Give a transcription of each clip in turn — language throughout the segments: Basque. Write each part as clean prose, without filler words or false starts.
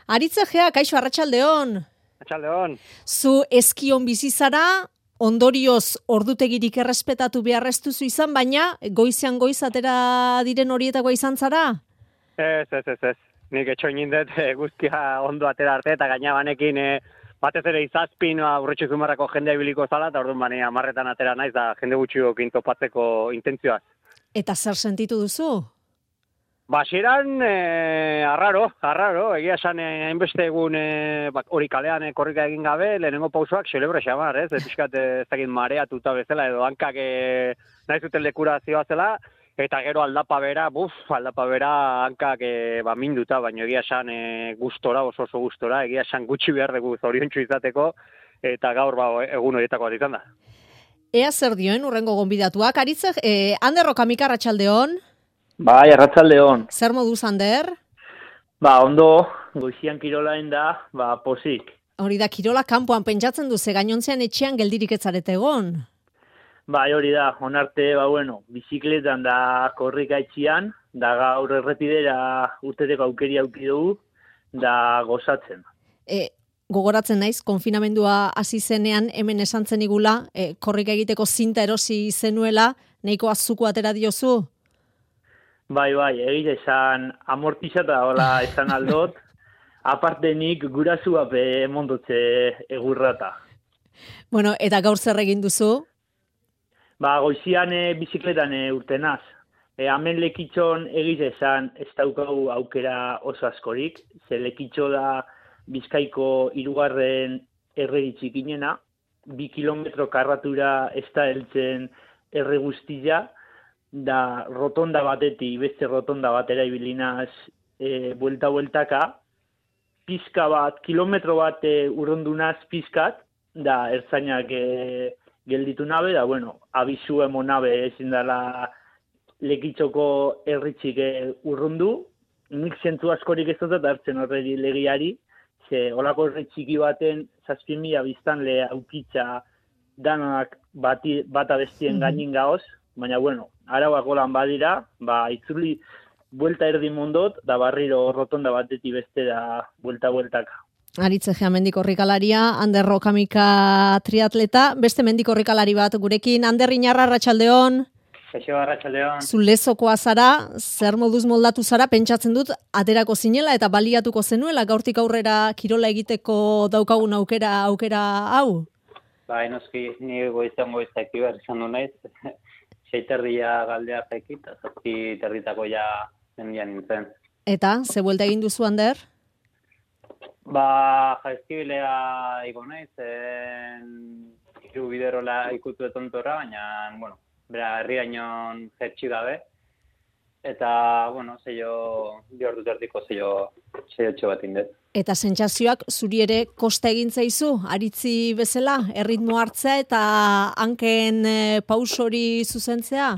Aritzegea, kaixo, arratsaldeon. Arratsaldeon. Zu eskion bizi zara, ondorioz ordutegirik errespetatu behar ez duzu izan, baina goizean goiz atera diren horietakoa izan zara? Ez. Nik etxoin indet guztia ondo atera arte, eta gaina banekin batez ere izazpin aurretxu zumarrako jendea ibiliko zala, eta orduan bane amarretan atera naiz, da jende gutxiokin topatzeko intentzioaz. Eta zer sentitu duzu? Basiran, arraro, egia esan hainbeste egun hori kalean korrika egin gabe, lehenengo pausoak xelebre xamar, ez? Piskat ez dakit mareatuta bezala, edo hankak nahi zuten lekura zioazela, eta gero aldapa bera hankak minduta, baina egia esan gustora, oso gustora, egia esan gutxi behar dugu zoriontsu izateko, eta gaur egun horietako bat izan da. Ea zer dioen urrengo gonbidatuak, Aritzeg, Ander Rokamika, arratsaldeon. Bai, arratsaldeon. Zer moduz, Ander? Ondo, goizian kirolaen da, posik. Hori da, kirola kanpoan pentsatzen duze, gainontzean etxean geldirik ez zarete egon. Bai, hori da, onarte, bizikletan da korrika etxian, da gaur errepidera urteteko aukeri auki dugu, da gozatzen. Gogoratzen naiz, konfinamendua hasi zenean hemen esan zenigula, korrika egiteko zinta erosi zenuela, nahiko azuko atera diozu? Bai, egite esan amortizata hola esan aldot, aparte nik gurasu ape mondotze egurrata. Bueno, eta gaur zer egin duzu? Goizian bizikletan urtenaz. Hemen lekitxon egite esan ez daukagu aukera oso askorik, ze lekitxo da Bizkaiko 3. erreri txikinena, 2 kilometro karratura ez da heltzen erre guztia, da rotonda batetik beste rotonda batera ibilinaz buelta-bueltaka, pizka bat, kilometro bat urrundunaz pizkat, da ertzainak gelditu nabe, da abizu emonabe ezin dela lekitxoko erritxik urrundu, nik zentzu askorik ez dut hartzen horreri legiari, ze olako erritxiki baten 7.000 biztanle aukitza danak bata bestien gainin gaoz, baina arauak golan badira, itzuli buelta erdi mondot, da barriro rotonda batetik beste da buelta-bueltaka. Aritzegea mendikorrikalaria, Ander Rokamika triatleta, beste mendikorrikalari bat gurekin, Ander Inarra, arratsaldeon. Kaixo, arratsaldeon. Zu lezokoa zara, zer moduz moldatu zara, pentsatzen dut, aterako zinela eta baliatuko zenuela, gaurtik aurrera kirola egiteko daukagun aukera hau? Noski, ni goizak behar izan du naiz, 6:30 galdea zaikit, 7:30 ja mendian nintzen. Eta, ze buelta egin duzu, Ander? Jaizkibilea iko naiz, hiru biderola ikutu etontora, baina, bera, herri gainon jertxi gabe, eta, zeio, 2 ordu terdiko zeio bat indet. Eta sentsazioak zuri ere kosta egin zaizu, aritzi bezala, erritmo hartzea eta hanken pausori zuzentzea?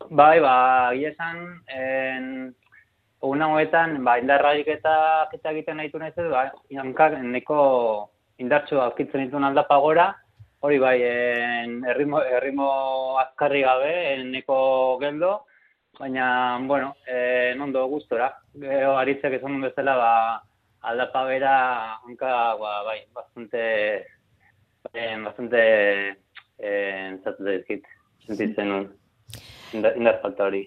Bai, egia esan, egun hauetan, indarrarik eta egiten nahitu nahiz edo, hankak neko indartxo aurkitzen dituen aldapa gora, hori erritmo azkarri gabe, neko geldo, baina, nondo gustora. Aritzek esan duen bezala, aldapa bera, hanka, bastante sentitzen nuen, indar falta hori.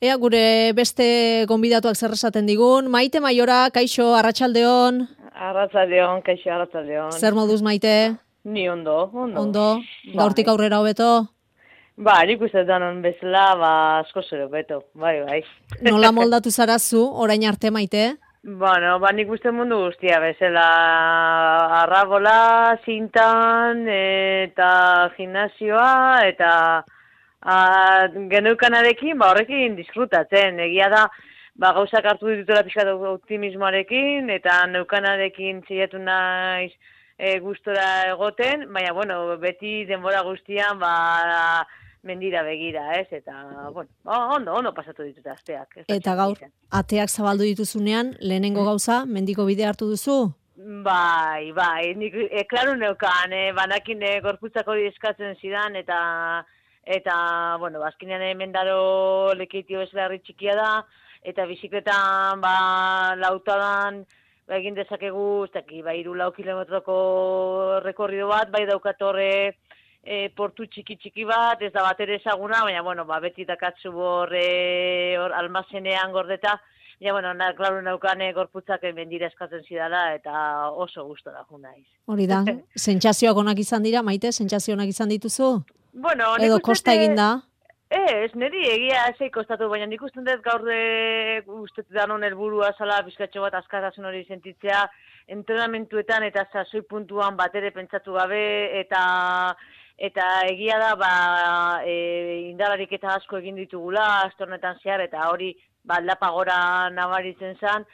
Ea gure beste gonbidatuak zer esaten digun, Maite Maiora, kaixo, arratsaldeon. Arratsaldeon, kaixo, arratsaldeon. Zer moduz, Maite? Ni ondo. Ondo, gaurtik aurrera hobeto? Nik uste danon bezala, asko zer hobeto, bai. Nola moldatu zara zu, orain arte, Maite? Nik uste mundu guztia bezala, arrabola, zintan, eta gimnasioa, eta geneukanarekin, horrekin disfrutatzen. Egia da, gauzak hartu ditutela pixkat optimismoarekin, eta neukanarekin txaiatu naiz gustora egoten, baina, beti denbora guztian, mendira begira, ez? Eta, ondo pasatu ditut asteak. Eta gaur, ateak zabaldu dituzunean, lehenengo gauza, mendiko bide hartu duzu? Bai, nik, klaro neukan, banakin gorputzak hori eskatzen zidan, eta azkenean mendaro lekeitio bezala herri txikia da, eta bizikletan, lautadan, egin dezakegu, ez daki, 3-4 kilometroko rekorrido bat, bai daukatorre portu txiki bat, ez da bat ere ezaguna, baina, bueno, beti dakatzu hor almazenean gordeta, ja, bueno, klaru naukane gorputzak mendira eskatzen zidala, eta oso gustora jo naiz. Hori da, sentsazioak onak izan dira, Maite, sentsazio onak izan dituzu? Bueno, edo kosta egin da? Ez, niri egia ezei kostatu, baina nik usten dut gaur ustetu danon helburua zala bizkatxo bat askatasun hori sentitzea, entrenamentuetan eta sasoi puntuan batere pentsatu gabe, eta egia da, indararik eta asko egin ditugula, astornetan zehar, eta hori, aldapa gora nabaritzen zen,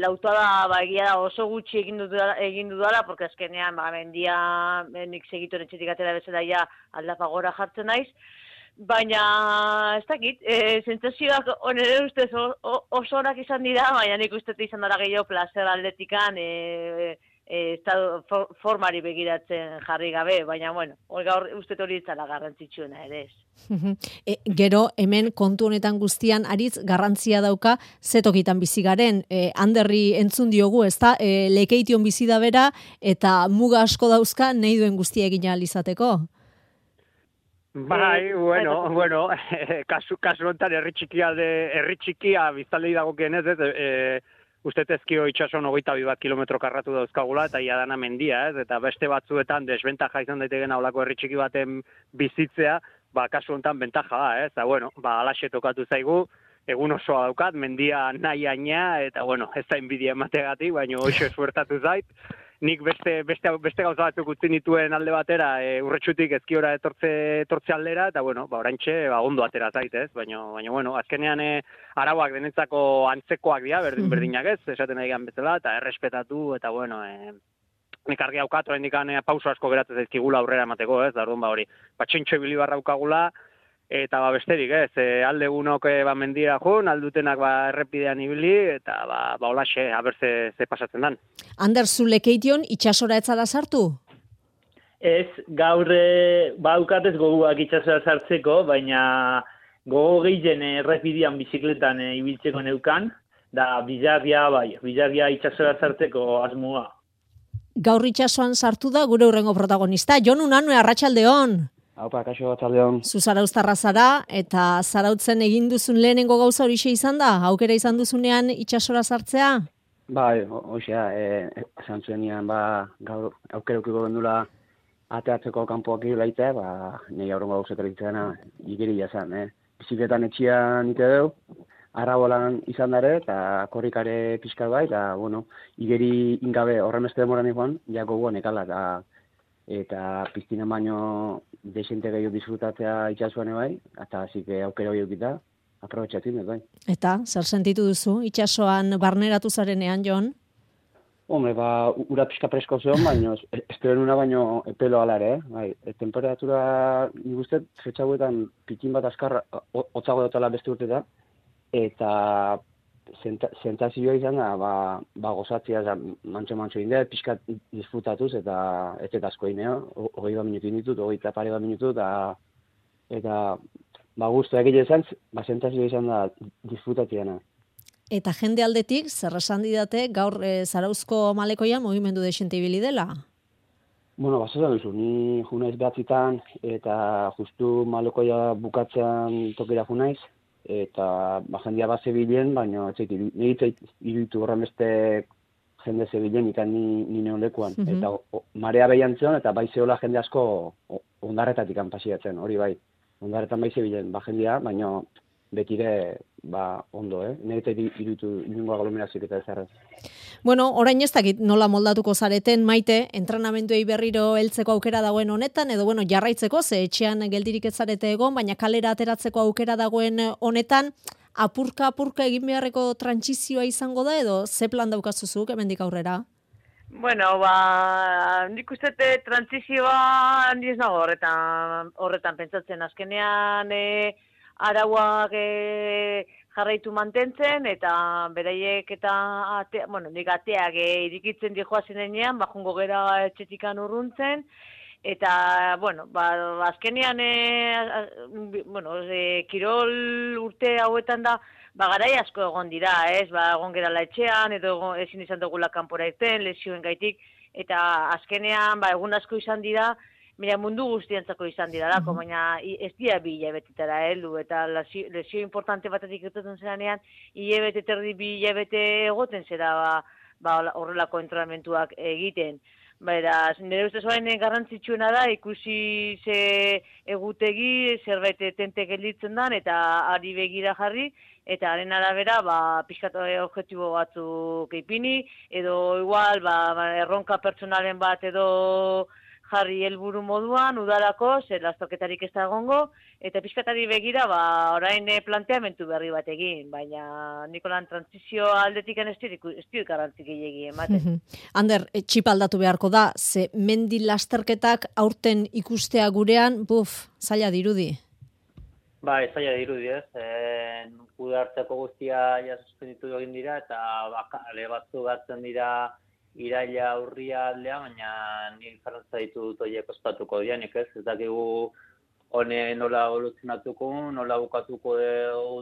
lautada egia da oso gutxi egin dudala, porque azkenean mendia nik segituen etxetik atera bezala ja aldapa gora jartzen naiz, baina ez dakit, sentsazioak onere ustez oso onak izan dira, baina nik uste izan dara gehiago placer aldetikan, formari begiratzen jarri gabe, baina bueno, gaur uste hori itzala garrantzitsuena ere ez. Gero, hemen kontu honetan guztian aritz garrantzia dauka zetokitan bizi garen. Anderri entzun diogu, ezta? Lekeition bizi da bera eta muga asko dauzka nahi duen guztia egin ahal izateko. Bai, bueno, kasu honetan herri txikia biztanlei dagokienez, uste ezkio itxason 22 bat kilometro karratu dauzkagula, eta ia dana mendia, ez? Eta beste batzuetan desbentaja izan daiteken aulako herri txiki baten bizitzea, kasu honetan bentaja da, ez? Eta, bueno, alaxe tokatu zaigu, egun osoa daukat, mendia nahi aina, eta, bueno, ez da inbidia emategatik, baina hoxe suertatu zait. Nik beste gauza batzuk utzi nituen alde batera, urretxutik ezkiora etortze aldera, eta, bueno, oraintxe ondo atera zait, ez? Baina, bueno, azkenean arauak denetzako antzekoak dira, berdinak ez, esaten nahi bezala, eta errespetatu, eta, bueno, nik argi haukat, oraindik pauso asko geratzen zaizkigula aurrera emateko, ez? Da, orduan, hori, txintxo ibili barra haukagula, eta besterik, ez, alde gunok mendira joan, aldutenak errepidean ibili, eta holaxe, haber ze pasatzen dan. Ander, zu lekeition itxasora etzara sartu? Ez, gaur haukatez goguak itxasora sartzeko, baina gogo gehien errepidean bizikletan ibiltzeko neukan, da bizarria itxasora sartzeko asmoa. Gaur itxasoan sartu da gure hurrengo protagonista, Jon Unanue, arratsaldeon. Haupa, kaixo arratsaldeon. Zu zarauztarra zara, eta zarautzen egin duzun lehenengo gauza horixe izan da? Aukera izan duzunean itxasora sartzea? Bai, hoxea, esan zuenian, gaur aukerukiko gendula ateatzeko kanpoak irulaitea, nahi aurrengo gauzetara itzena, igeri jazan, bizikletan etxian ite deu, arrabolan izan dare, eta korrikare pixka bai, eta, bueno, igeri ingabe horremeste demoran ikuan, jako guan ekala, eta piztinan baino desente gehiago disfrutatzea itxasuan bai, eta hasi aukera hori eukita, aprobetxatzen, bai. Eta, zer sentitu duzu, itxasoan barneratu zarenean, Jon? Hombre, ura pixka presko zeon, baina espero nuna baino epelo alare, bai. Temperatura, nik uste, fetxauetan pitin bat askar hotzago dutela beste urteta, eta sentazioa izan da, gozatzea, mantxo indea, pixkat disfrutatuz, eta ez asko ineo, 20 minutu inditut, 20 minutu, eta guztu egile izan, sentazioa izan da disfrutatzeana. Eta jende aldetik, zer esan didate, gaur Zarauzko malekoian mugimendu desente ibili dela? Bueno, basetan duzu, ni junaiz behatzitan, eta justu malekoia bukatzean tokira junaiz, eta jendia bat zebilen, baina nire iruditu horren beste jende zebilen, eta ni neon lekuan. Eta marea behian zion, eta bai zehola jende asko ondarretatik pasiatzen, hori bai. Ondarretan bai zebilen, jendia, baina betire ondo, nire iruditu niongo aglomerazioak eta ezarrez. Bueno, orain ez dakit nola moldatuko zareten, Maite, entrenamenduei berriro heltzeko aukera dagoen honetan, edo bueno, jarraitzeko, ze etxean geldirik ez zarete egon, baina kalera ateratzeko aukera dagoen honetan, apurka egin beharreko trantsizioa izango da, edo ze plan daukazuzuk hemendik aurrera? Bueno, nik uste trantsizioa handiz nago horretan pentsatzen azkenean, arauak jarraitu mantentzen, eta beraiek eta, nik ateak irikitzen dihoazen enean, jungo gera etxetikan urruntzen, eta, azkenean, kirol urte hauetan da, garai asko egon dira, ez? Egon gerala etxean, edo ezin izan dugula kanpora irten, lesioen gaitik, eta azkenean, egun asko izan dira, mira, mundu guztientzako izan diralako, baina ez dira bi hilabetetara heldu, eta lesio importante batetik irteten zeranean, hilabete terdi bi hilabete egoten zera horrelako entrenamentuak egiten. Beraz, nire ustez garrantzitsuena da, ikusi ze egutegi, zerbait tente gelditzen dan, eta ari begira jarri, eta haren arabera, pixkat objektibo batzuk ipini, edo igual, erronka pertsonalen bat edo jarri helburu moduan, udalako, zer lasterketarik ez da egongo, eta pixkatari begira, orain planteamentu berri bat egin, baina Nikolan transizio aldetik ez dira garrantzik gehiegi ematen. Ander, txip aldatu beharko da, ze mendi lasterketak aurten ikustea gurean, zaila dirudi. Zaila dirudi, ez? Kudartzeko guztia suspenditu egin dira, eta ale batzu gartzen dira iraila urria aldea, baina nire zarantza ditut horiek ospatuko dianik, ez? Ez dakigu hone nola evoluzionatuko, nola bukatuko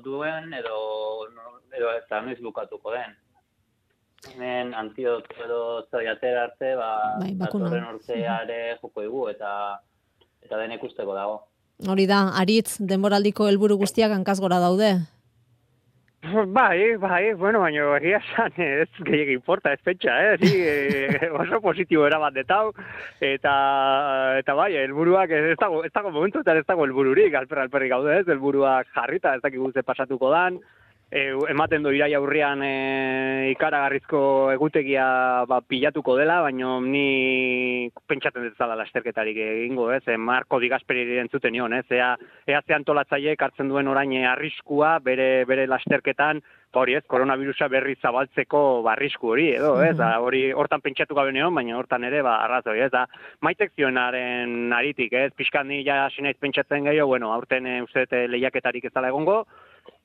duen, edo eta noiz bukatuko den. Hemen antidot edo zoiatera arte, datorren urteare joko dugu, eta den ikusteko dago. Hori da, Aritz, denboraldiko helburu guztiak hankaz gora daude. Bai, bueno, baina egia esan ez gehiagin importa, ez pentsa, oso positibo erabat detau, eta bai, helburuak ez dago momentu, eta ez dago helbururik, alperri gaude ez, helburuak jarrita, ez dakik guzti pasatuko dan, ematen du iraia aurrian ikaragarrizko egutegia pilatuko dela, baina ni pentsatzen dut zala lasterketarik egingo, ez? Marko Di Gasperi entzuten nion, ez? Ea ze antolatzaileek hartzen duen orain arriskua bere lasterketan, hori ez, koronavirusa berri zabaltzeko arrisku hori, edo, ez? Hori hortan pentsatu gabe neon, baina hortan ere arrazoi, ez? Maitek zionaren aritik, ez? Pixkan ni ja hasi naiz pentsatzen gehiago, bueno, aurten uste lehiaketarik ez dela egongo,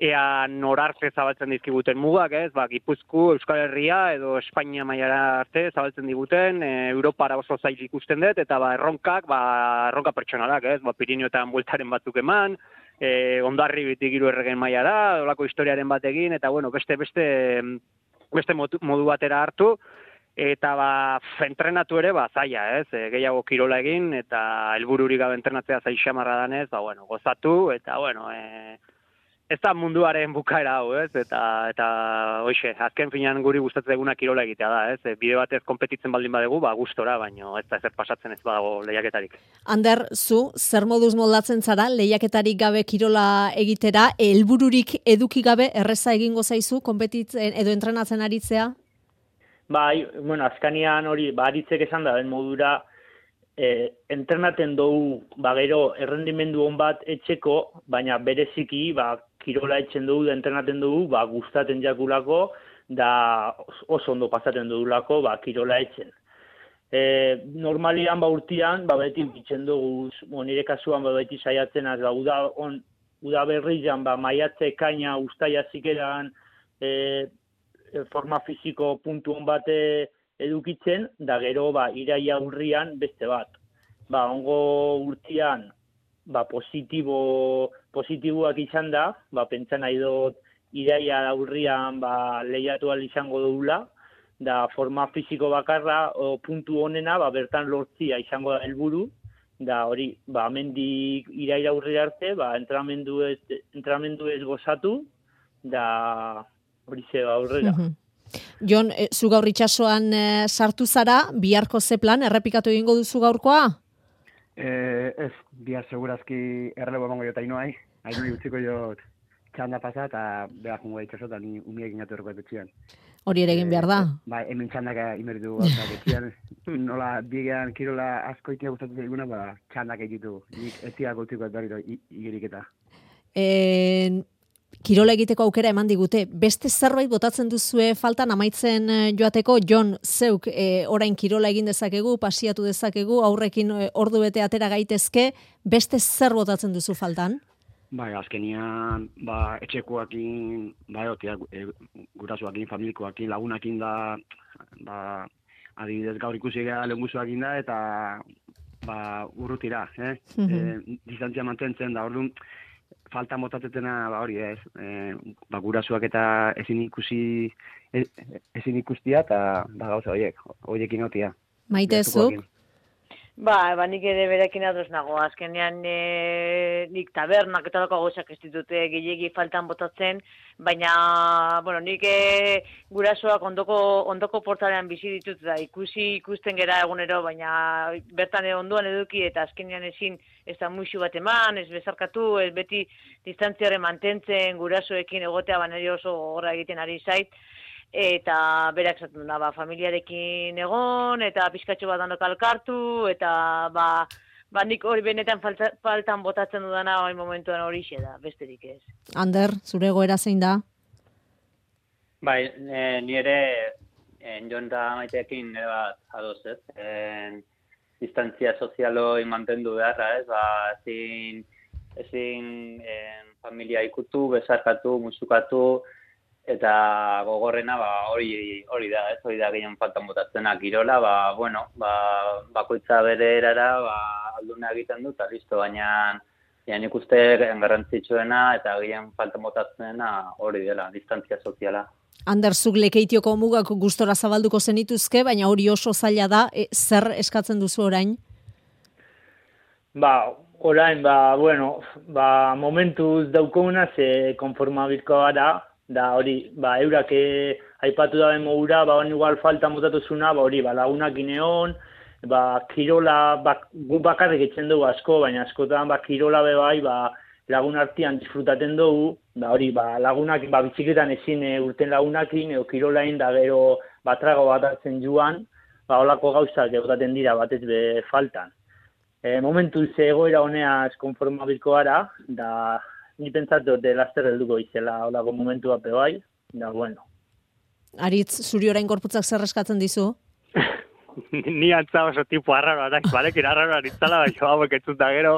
ea norarte zabaltzen dizkiguten mugak, ez? Gipuzkoa, Euskal Herria edo Espainia mailara arte zabaltzen diguten, Europara oso zail ikusten dut, eta erronka pertsonalak, ez? Pirinioetan bueltaren batzuk eman, Hondarribitik 3 erregen mailara, olako historiaren batekin, eta bueno, beste modu batera hartu, eta entrenatu ere zaila, ez? Gehiago kirola egin, eta helbururik gabe entrenatzea zail xamarra danez, gozatu, eta bueno, ez da munduaren bukaera hau, ez? Eta hoxe, azken finean guri gustatzen eguna kirola egitea da, ez? Bide batez konpetitzen baldin badegu, gustora, baino ez da ezer pasatzen ez badago lehiaketarik. Ander, zu, zer moduz moldatzen zara, lehiaketarik gabe kirola egitera, helbururik eduki gabe erreza egingo zaizu, konpetitzen edo entrenatzen aritzea? Bai, bueno, azkanian hori, aritzek esan da, den modura, entrenaten dugu, gero, errendimendu hon bat etxeko, baina bereziki, kirola etxen dugu, entrenaten dugu, gustaten jakulako, da oso ondo pasaten dugulako, kirola etxen. Normalian, urtean, beti bitzen dugu, nire kasuan, beti saiatzen az, uda berrian, maiatze, kaina, ustaia zikeran, forma fiziko puntu hon bate edukitzen, da gero, iraia urrian beste bat. Ongo urtean, positiboak izan da, pentsan nahi dut iraia urrian lehiatu ahal izango dugula, da forma fiziko bakarra, puntu honena, bertan lortzia izango da helburu, da hori, hemendik iraia urri arte, entrenamendu ez gozatu, da hori ze aurrera. Jon, zu gaur itxasoan sartu zara, biharko ze plan, errepikatu egingo duzu gaurkoa? Ez, bihar segurazki errelebo emango jota Ainhoai utziko jot txanda pasa, eta behar jungo itxaso, eta ni umiek inatu erroko etxean. Hori ere egin behar da? Hemen txandaka imeritu gauzak etxean, nola bigean kirola asko itea gustatzen eguna, txandak egitu, nik etziak utziko berriro igiriketa. Kirola egiteko aukera eman digute. Beste zerbait botatzen duzue faltan amaitzen joateko, Jon, zeuk orain kirola egin dezakegu, pasiatu dezakegu, aurrekin ordu bete atera gaitezke, beste zer botatzen duzu faltan? Azkenian, etxekoakin, gurasoakin, familikoakin, lagunakin da, adibidez gaur ikusi gara lehenguzuakin da, eta urrutira, distantzia mantentzen da, orduan, falta motatetena, ba, hori ez, ba, gurasuak eta ezin ikustia, eta ba, gauza horiekin notia. Maite zuk? Ba, nik ere berekin ados nago. Azkenean nik tabernak eta lako gauzak ez ditute gehiegi faltan botatzen, baina, bueno, nik gurasoak ondoko portalean bizi ditut da ikusten gera egunero, baina bertan ondoan eduki eta azkenean ezin ez da muixu bat eman, ez bezarkatu, ez beti distantziaren mantentzen gurasoekin egotea, baina oso gogorra egiten ari zait. Eta berak esaten duna, ba, familiarekin egon, eta pizkatxo bat danok alkartu, eta ba nik hori benetan faltan botatzen dudana hori momentuan horixe da, besterik ez. Ander, zure goera zein da? Bai, ni ere Jon da Maiteekin nire bat adoz, ez? Distantzia sozialoi mantendu beharra, ez? Ba, ezin familia ikutu, bezarkatu, musukatu, eta gogorrena ba hori da, ez? Hori da gehien faltan botatzena kirola, ba bueno, ba bakoitza bere erara, ba alduna egiten du ta listo, baina nik uste garrantzitsuena eta gehien faltan botatzena hori dela, distantzia soziala. Ander, zuk Lekeitioko mugak gustora zabalduko zenituzke, baina hori oso zaila da, zer eskatzen duzu orain? Ba, orain, ba, bueno, ba, momentuz daukoguna ze konformabirko gara, da hori, ba, eurak aipatu daben modura, ba, igual faltan botatu zuna, ba, hori, ba, lagunak ineon, ba, kirola, gu bakarrik etzen dugu asko, baina askotan, ba, kirola bai, ba, lagun artean disfrutaten dugu, ba, hori, ba, lagunak, ba, bizikletan ezin urten lagunakin, edo kirolain, da gero, ba, trago bat hartzen joan, ba, holako gauzak egotaten dira, batez be faltan. Momentu egoera honeaz konformabilko gara, da, ni pentsatu de laster helduko izela holako momentu bat bai, da bueno. Aritz, zuri orain gorputzak zer eskatzen dizu? Ni antza oso tipo arraro, barekin arraro aritzala, baina hauek etzuta gero,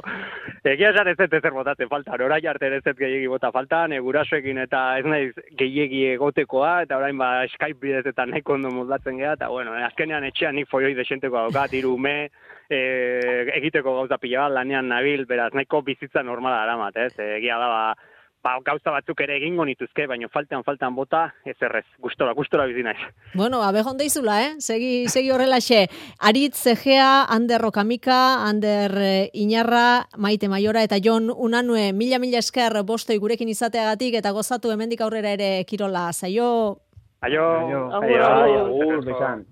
egia esan ez zer botatzen faltan, orain arte ez gehiegi bota faltan, gurasoekin eta ez naiz gehiegi egotekoa, eta orain ba Skype bidez eta nahiko ondo moldatzen geha, eta bueno, azkenean etxean nik foioi desenteko daukat, 3 ume, egiteko gauza pila bat, lanean nabil, beraz, nahiko bizitza normala daramat, ez? Egia da, ba, gauza batzuk ere egingo nituzke, baina faltan bota, ez errez, gustora bizi naiz. Bueno, abejon deizula, Segi horrelaxe. Aritz Egea, Ander Rokamika, Ander Iñarra, Maite Maiora eta Jon Unanue, mila esker bostoi gurekin izateagatik eta gozatu hemendik aurrera ere kirola. Saio! Aio! Agur, agur. Besan.